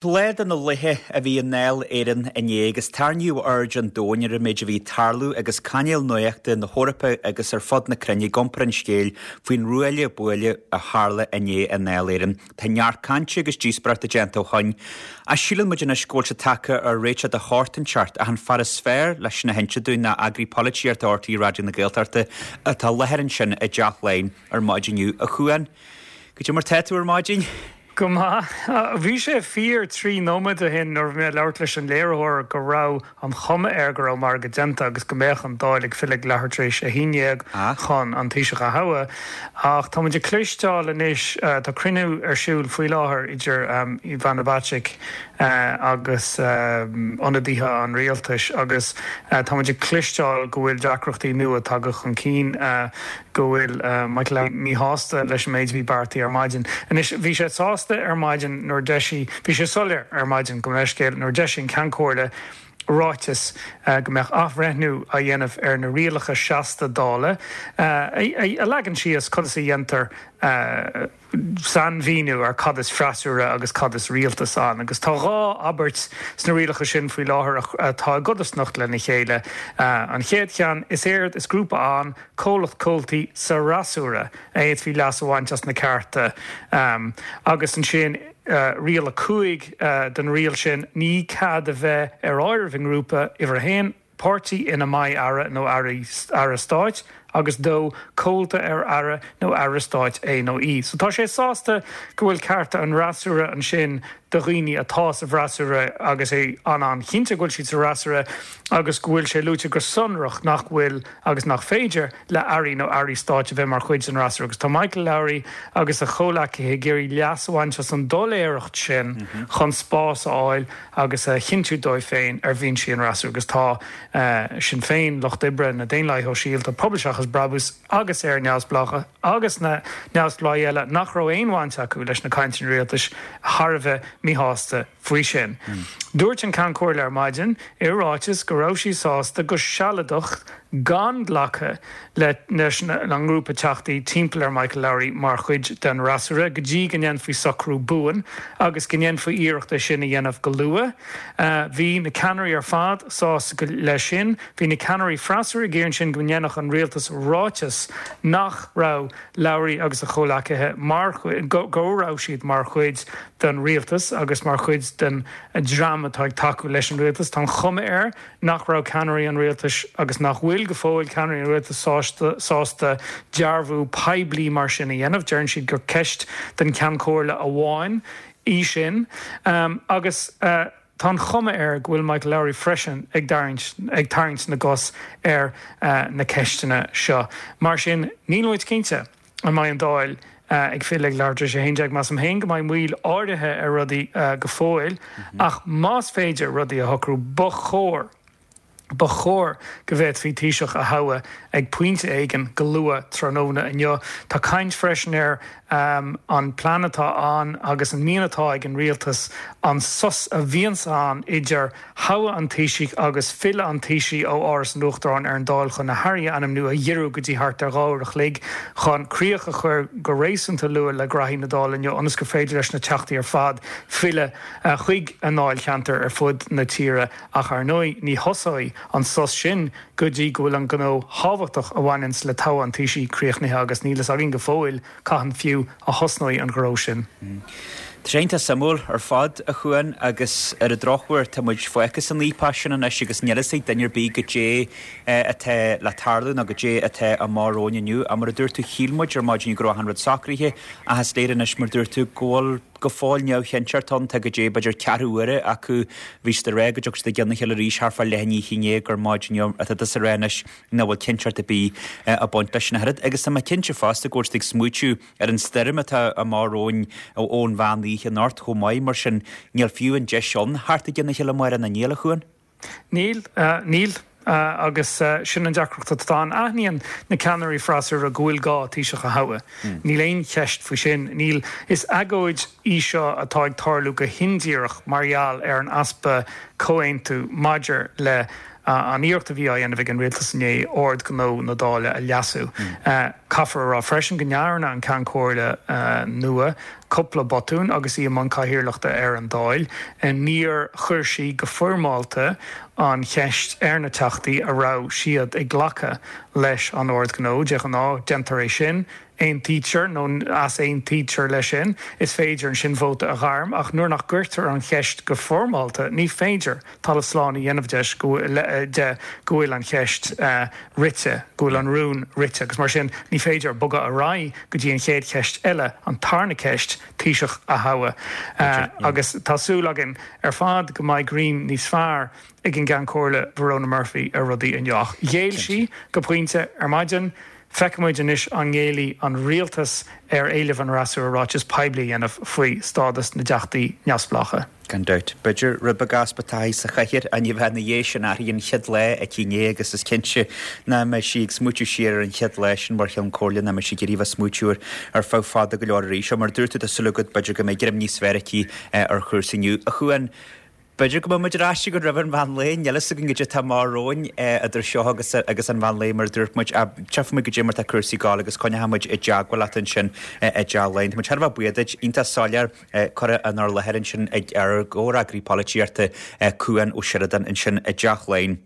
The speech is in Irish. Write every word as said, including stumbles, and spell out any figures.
Lá de na laethe a bhí i nDáil Éireann inné agus tarraingíodh aird an domhain ar an méid a bhí ag tarlú agus cainéil nuachta na hEorpa agus ar fud na cruinne ag iompar an scéil faoin ruaille buaille a tharla inné i nDáil Éireann. Tá neart cainte agus díospóireachta déanta ó shin. Ach síleann muid anois go bhfuil sé tagtha ar réiteach de shórt inteacht ach an fear is fearr leis sin a inse dúinn ná eagraí polaitíochta R T Raidió na Gaeltachta atá i láthair ansin i dTeach Laighean ar maidin inniu. A Chuain, goidé mar tá tú ar maidin? Go maith. Bhí sé fíor trí nóiméad ó shin nuair a bhí mé ag labhairt leis an léiritheoir go raibh an chuma air go raibh margadh déanta agus go mbeadh an Dáil ag filleadh leathuair tar éis a haon déag chun an Taoiseach a thoghadh. Ach tá muid ag cloisteáil anois, tá cruinniú ar siúl faoi láthair idir Ivana Bacik agus ionadaithe an rialtais agus tá muid ag cloisteáil go bhfuil deacrachtaí nua tagtha chun cinn, go bhfuil Michael Lowry míshásta leis an méid a bhí beartaithe ar maidin. Anois, bhí sé sásta ar maidin nuair a d'eisigh, bhí sé soiléir ar maidin, gabh mo leithscéal, nuair a d'eisigh an Ceann Comhairle ráiteas go mbeadh athbhreithniú á dhéanamh ar na rialacha seasta Dála a leagann síos conas a dhéantar sainmhíniú ar cad is freasúra agus cad is rialtas ann. Agus tá dhá abairt sna rialacha sin faoi láthair atá i gcodarsnacht lena chéile. An chéad cheann, is éard is grúpa ann comhlacht comhaltaí sa fhreasúra a fhéadfaí leas a bhaint as na cearta agus ansin riail a cúig den riail sin, ní cead a bheith ar áireamh i ngrúpa uimhir a haon, páirtí ina mbeidh aire nó aire stáit agus dó, comhalta ar aire nó aire stáit é nó í. So tá sé sásta go bhfuil cearta an fhreasúra ansin do dhaoine atá sa bhfreasúra agus é an-an-chinnte go bhfuil siad sa fhreasúra agus go bhfuil sé luaite go sonrach nach bhfuil agus nach féidir le airí nó airí stáit a bheith mar chuid den fhreasúra. Agus tá Michael Lowry agus a chomhleacaithe ag iarraidh leas a bhaint as an doiléireacht sin chun spás a fháil agus a chinntiú dóibh féin ar bhinsí an fhreasúra. Agus tá Sinn Féin, Lucht Oibre, na Daonlathaithe Shóisialta, Pobal Seachas Brabús agus Éire Neamhspleách agus na neamhspleáigh eile nach raibh aon bhaint acu leis na cainteanna rialtais thar a bheith míshásta faoi sin. Dúirt an Ceann Comhairle ar maidin i ráiteas go raibh sí sásta go sealadach gan glacadh leis an ngrúpa teachtaí timpeall ar Michael Lowry mar chuid den fhreasúra go dtí go ndéanfaí socrú buan agus go ndéanfaí iarracht é sin a dhéanamh go luath. Bhí na ceannairí ar fad sásta leis sin. Bhí na ceannairí freasúra ag iarraidh ansin go ndéanfadh an rialtas ráiteas nach raibh Lowry agus a chomhleacaithe mar go raibh siad mar chuid den rialtas agus mar chuid den dream atá ag tacú leis an rialtas. Tá an chuma air nach raibh ceannairí an rialtais agus nach bhfuil go fóill ceannairí an rialtais sásta sásta dearbhú poiblí mar sin a dhéanamh. Deireann siad gur ceist don Cheann Comhairle amháin í sin. Agus tá an chuma air go bhfuil Michael Lowry freisin ag tarraingt ag tarraingt na gcos ar na ceisteanna seo. Mar sin, níl muid cinnte an mbeidh an Dáil ag filleadh ag leathuair tar éis a haon déag. Measaim féin go mbeidh moill áirithe ar rudaí go fóill, ach más féidir rudaí a shocrú, ba chóir, ba chóir go bhféadfaí Taoiseach a thoghadh ag pointe éigin go luath tráthnóna inniu. Tá caint freisin ar an plean atá ann agus an mian atá ag an rialtas an sos a bhíonns ann idir thoghadh an Taoisigh agus filleadh an Taoisigh ó Áras an Uachtaráin ar an Dáil chun na hairí a ainmniú a ghiorrú go dtí thart ar dhá uair a chloig chun críoch a chur go réasúnta luath le graithí na Dála inniu ionas gur féidir leis na Teachtaí ar fad filleadh chuig a ndáilcheantair ar fud na tíre. Ach ar ndóigh ní thosóidh an sos sin go dtí go bhfuil an gnó thábhachtach a bhaineanns le toghadh an Taoisigh críochnaithe agus níl fhios againn go fóill cathain fiú a thosnóidh an gnó sin. Tá sé iontach suimiúil ar fad, a Chuain, agus ar an drochuair tá muid fágtha san fhaopach sin anois agus níl fhios ag duine ar bith goidé atá le tarlú nó goidé atá amach romhainn inniu. Ach mar a dúirt tú, shíl muid ar maidin go raibh achan rud socraithe ach is léir anois mar a dúirt tú go bhfuil go fóill neamhchinnteacht ann. Tá goidé b'fhéidir ceathrú uaire acu. Bhí siad ag rá go dtiocfaidh siad i gcionn a chéile arís thart fá leath i ndiaidh a haon déag ar maidin inniu. Tá tusa ag rá anois nach bhfuil cinnteacht ar bith ag baint leis sin ach oiread. Agus tá mé cinnte fosta go bhfuil siad ag smaoitiú ar an stoirm atá amach romhainn ón mheán oíche anocht chomh maith. Mar sin níl fiú an deis ann theacht i gcionn a chéile amárach, níl, a Chuain? Níl, níl. Agus sin an deacracht atá ann. Aithníonn na ceannairí freasúra go bhfuil gá Taoiseach a thoghadh. Níl aon cheist faoi sin. Níl. Is agóid í seo atá ag tarlú go hindíreach mar gheall ar an easpa comhaontú maidir le an iarracht a bhí á dhéanamh ag an rialtas inné Ord Gnó na Dála a leasú. Caithfear a rá freisin go ndearna an Ceann Comhairle nua cúpla botún agus í i mbun cathaoirleachta ar an Dáil. Níor chuir sí go foirmeálta an cheist ar na Teachtaí a raibh siad ag glacadh leis an Ord Gnó. De ghnáth, déantar é sin, aontaítear nó easaontaítear leis sin, is féidir ansin vóta a ghairm, ach nuair nach gcuirtear an cheist go foirmeálta, ní féidir talamh slán a dhéanamh de de go bhfuil an cheist rite, go bhfuil an rún rite, agus mar sin ní féidir bogadh ar aghaidh go dtí an chéad cheist eile, an tarna ceist, Taoiseach a thoghadh. Agus tá súil againn ar fad go mbeidh greim níos fearr ag an gCeann Comhairle Verona Murphy ar rudaí inniu. Ach ghéill sí go pointe ar maidin. Feicfimid anois an ngéillfidh an rialtas ar éileamh an fhreasúra ráiteas poiblí a dhéanamh faoi stádas na dteachtaí neamhspleácha. Gan dabht. B'fhéidir rud beag easpa taithí sa chathaoir ach ní bheadh ina dhiaidh sin uirthi an chéad lá aici inné agus is cinnte nach mbeidh sí ag smaoitiú siar ar an chéad lá sin mar Cheann Comhairle nach mbeidh sí ag iarraidh a bheith ag smaoitiú air ar feadh fada go leor arís. Mar a dúirt tú tá súil agat b'fhéidir go mbeidh greim níos fearr aici ar chúrsaí inniu. A Chuain, B'fhéidir go mbeidh muid ar ais chugat roimh an mheán lae, níl a fhios againn goidé atá amach romhainn idir seo agus agus an mheán lae mar a dúirt muid. Tchífidh muid goidé mar atá cúrsaí ag gabháil agus coinneoidh muid i dteagmháil leat ansin i dTeach Laighean. Tá muid thar a bheith buíoch duit, iontach soiléir curtha inár láthair ansin ag ár gcomhfhreagraí polaitíochta Cuan Ó Seireadáin ansin i dTeach Laighean.